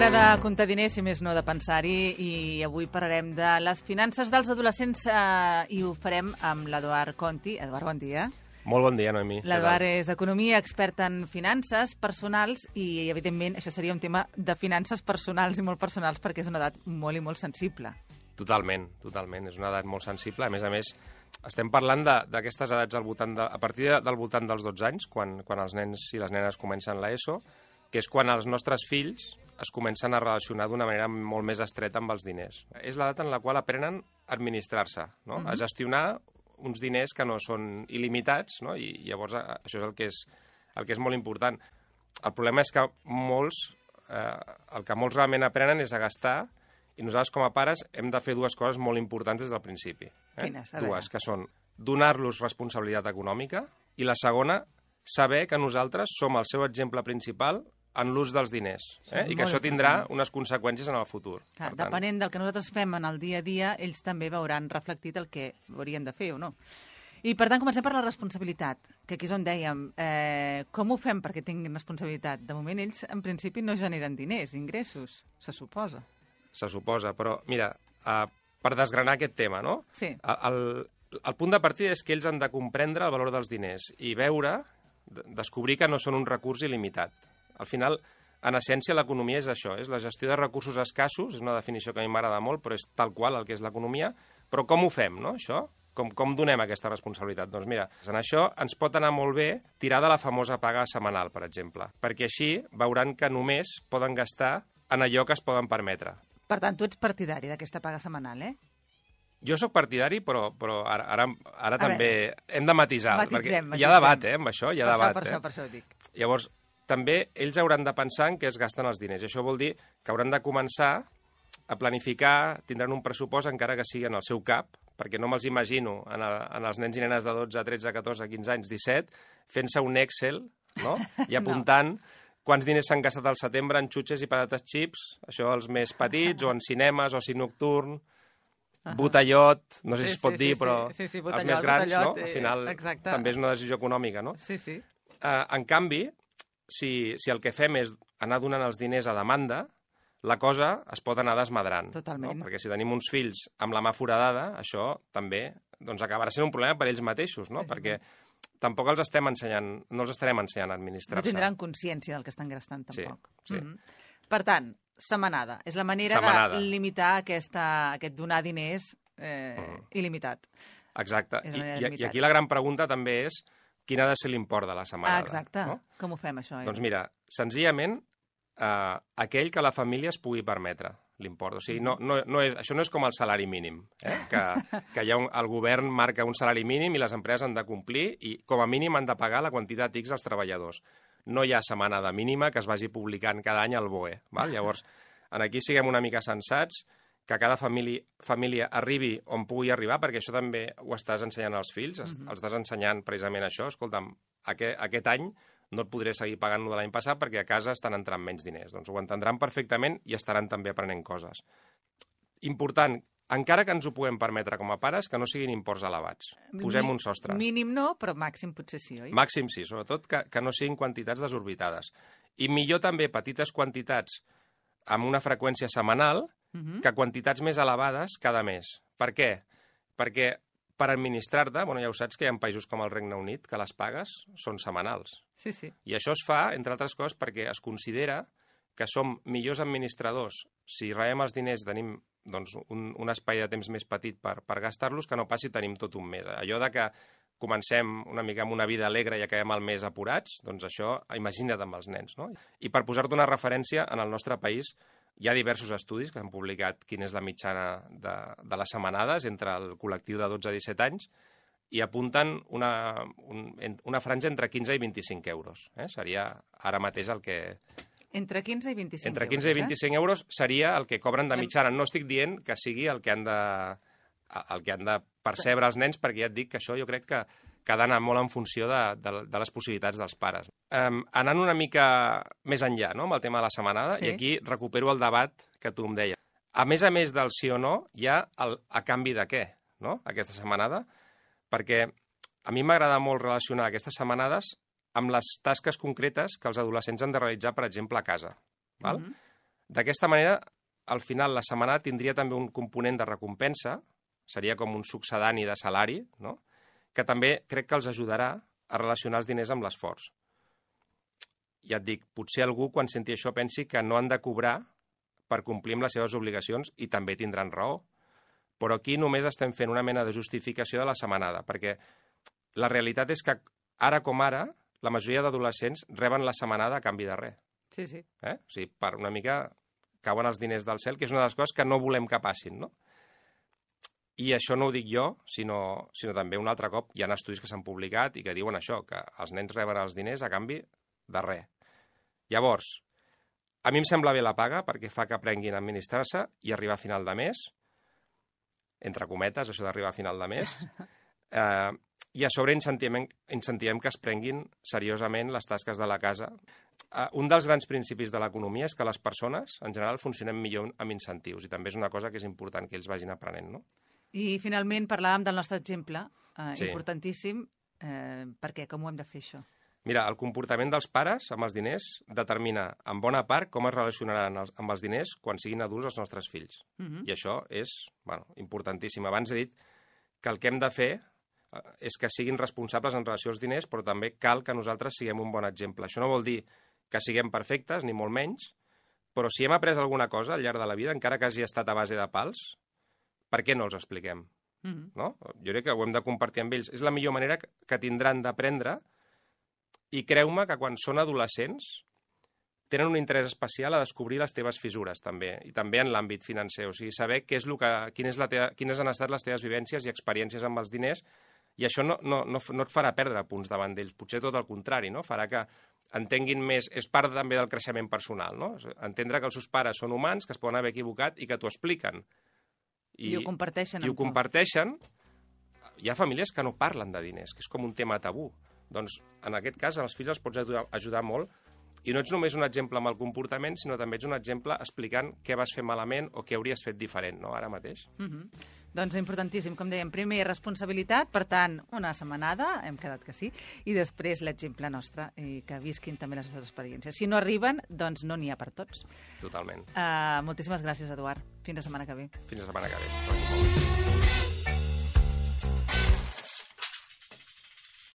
Hora de comptar diners, si més no de pensar-hi, i avui parlarem de les finances dels adolescents i ho farem amb l'Eduard Conti. Eduard, bon dia. Molt bon dia, Noemí. L'Eduard és economia, expert en finances personals i, evidentment, això seria un tema de finances personals i molt personals perquè és una edat molt i molt sensible. Totalment. És una edat molt sensible. A més, estem parlant d'aquestes edats a partir del voltant dels 12 anys, quan els nens i les nenes comencen l'ESO, que és quan els nostres fills es comencen a relacionar d'una manera molt més estreta amb els diners. És l'edat en la qual aprenen a administrar-se, no? A gestionar uns diners que no són il·limitats, no? I llavors això és el que és molt important. El problema és que el que molts realment aprenen és a gastar, i nosaltres com a pares hem de fer dues coses molt importants des del principi. Quines? Dues, que són donar-los responsabilitat econòmica i la segona, saber que nosaltres som el seu exemple principal en l'ús dels diners, i que això tindrà unes conseqüències en el futur. Clar, depenent del que nosaltres fem en el dia a dia, ells també veuran reflectit el que haurien de fer o no. I, per tant, comencem per la responsabilitat, que aquí és on dèiem, com ho fem perquè tinguin responsabilitat? De moment, ells, en principi, no generen diners, ingressos, se suposa. Se suposa, però, mira, per desgranar aquest tema, no? Sí. El punt de partida és que ells han de comprendre el valor dels diners i descobrir que no són un recurs il·limitat. Al final, en essència, l'economia és això, és la gestió de recursos escassos, és una definició que a mi m'agrada molt, però és tal qual el que és l'economia. Però com ho fem, no, això? Com donem aquesta responsabilitat? Doncs mira, en això ens pot anar molt bé tirar de la famosa paga setmanal, per exemple, perquè així veuran que només poden gastar en allò que es poden permetre. Per tant, tu ets partidari d'aquesta paga setmanal, eh? Jo sóc partidari, però ara també hem de matisar. Matitzem. Hi ha debat, amb això, hi ha debat. Per això ho dic. Llavors, també ells hauran de pensar en què es gasten els diners. I això vol dir que hauran de començar a planificar, tindran un pressupost encara que sigui en el seu cap, perquè no me'ls imagino en els nens i nenes de 12, 13, 14, 15 anys, 17, fent-se un Excel, no? I apuntant quants diners s'han gastat al setembre en xutxes i patates xips, això els més petits, o en cinemes, oci nocturn, botellot, no sé si es pot dir, però els més grans, no? Al final també és una decisió econòmica, no? Sí. En canvi, si el que fem és anar donant els diners a demanda, la cosa es pot anar desmadrant. Totalment. No? Perquè si tenim uns fills amb la mà foradada, això també acabarà sent un problema per ells mateixos, no? Perquè tampoc no els estarem ensenyant a administrar-se. No tindran consciència del que estan gastant, tampoc. Sí. Per tant, setmanada. És la manera de limitar aquest donar diners il·limitat. Exacte. I aquí la gran pregunta també és quin ha de ser l'import de la setmanada. Exacte. No? Com ho fem, això? Doncs mira, senzillament, aquell que la família es pugui permetre l'import. O sigui, això no és com el salari mínim, que el govern marca un salari mínim i les empreses han de complir i com a mínim han de pagar la quantitat X als treballadors. No hi ha setmanada mínima que es vagi publicant cada any al BOE. Val? Llavors, aquí siguem una mica sensats, que cada família arribi on pugui arribar, perquè això també ho estàs ensenyant als fills, els estàs ensenyant precisament això. Escolta'm, aquest any no et podré seguir pagant de l'any passat perquè a casa estan entrant menys diners. Doncs ho entendran perfectament i estaran també aprenent coses. Important, encara que ens ho puguem permetre com a pares, que no siguin imports elevats. Posem un sostre. Mínim no, però màxim potser sí, oi? Màxim sí, sobretot que no siguin quantitats desorbitades. I millor també petites quantitats amb una freqüència setmanal que quantitats més elevades cada mes. Per què? Perquè per administrar-te, ja ho saps que hi ha països com el Regne Unit que les pagues són setmanals. Sí. I això es fa, entre altres coses, perquè es considera que som millors administradors si rebem els diners, tenim un espai de temps més petit per gastar-los, que no pas si tenim tot un mes. Allò de que comencem una mica amb una vida alegre i acabem el mes apurats, doncs això, imagina't amb els nens, no? I per posar-te una referència, en el nostre país hi ha diversos estudis que han publicat quina és la mitjana de les setmanades entre el col·lectiu de 12 a 17 anys i apunten una franja entre 15 i 25 euros. Seria ara mateix el que... Entre 15 i 25 euros. Entre 15 i 25 euros seria el que cobren de mitjana. No estic dient que sigui el que han de percebre els nens, perquè ja et dic que això jo crec que ha d'anar molt en funció de les possibilitats dels pares. Anant una mica més enllà, no?, amb el tema de la setmanada, i aquí recupero el debat que tu em deies. A més del sí o no, hi ha el a canvi de què, no?, aquesta setmanada, perquè a mi m'agrada molt relacionar aquestes setmanades amb les tasques concretes que els adolescents han de realitzar, per exemple, a casa. Val? D'aquesta manera, al final, la setmanada tindria també un component de recompensa, seria com un succedani de salari, no? Que també crec que els ajudarà a relacionar els diners amb l'esforç. Ja et dic, potser algú, quan senti això, pensi que no han de cobrar per complir amb les seves obligacions i també tindran raó. Però aquí només estem fent una mena de justificació de la setmanada, perquè la realitat és que ara com ara, la majoria d'adolescents reben la setmanada a canvi de res. Sí, sí. O sigui, per una mica cauen els diners del cel, que és una de les coses que no volem que passin, no? I això no ho dic jo, sinó també un altre cop hi ha estudis que s'han publicat i que diuen això, que els nens reben els diners a canvi de res. Llavors, a mi em sembla bé la paga perquè fa que aprenguin a administrar-se i arribar a final de mes, entre cometes, això d'arribar a final de mes, i a sobre incentivem que es prenguin seriosament les tasques de la casa. Un dels grans principis de l'economia és que les persones, en general, funcionem millor amb incentius, i també és una cosa que és important que ells vagin aprenent, no? I, finalment, parlàvem del nostre exemple, Sí. importantíssim. Per què? Com ho hem de fer, això? Mira, el comportament dels pares amb els diners determina, en bona part, com es relacionaran amb els diners quan siguin adults els nostres fills. I això és importantíssim. Abans he dit que el que hem de fer és que siguin responsables en relació als diners, però també cal que nosaltres siguem un bon exemple. Això no vol dir que siguem perfectes, ni molt menys, però si hem après alguna cosa al llarg de la vida, encara que hagi estat a base de pals, per què no els expliquem? No? Jo crec que ho hem de compartir amb ells. És la millor manera que tindran d'aprendre, i creu-me que quan són adolescents tenen un interès especial a descobrir les teves fissures, també, i també en l'àmbit financer. O sigui, saber quines han estat les teves vivències i experiències amb els diners, i això no et farà perdre punts davant d'ells, potser tot el contrari, no? Farà que entenguin més, és part també del creixement personal, no? Entendre que els seus pares són humans, que es poden haver equivocat i que t'ho expliquen. I ho comparteixen. I ho comparteixen. Hi ha famílies que no parlen de diners, que és com un tema tabú. Doncs, en aquest cas, als fills els pots ajudar molt, i no ets només un exemple amb el comportament, sinó també ets un exemple explicant què vas fer malament o què hauries fet diferent, no?, ara mateix. Doncs importantíssim, com dèiem, primer responsabilitat, per tant, una setmanada, hem quedat que sí, i després l'exemple nostre, i que visquin també les seves experiències. Si no arriben, doncs no n'hi ha per tots. Totalment. Moltíssimes gràcies, Eduard. Fins la setmana que ve. Fins la setmana que ve.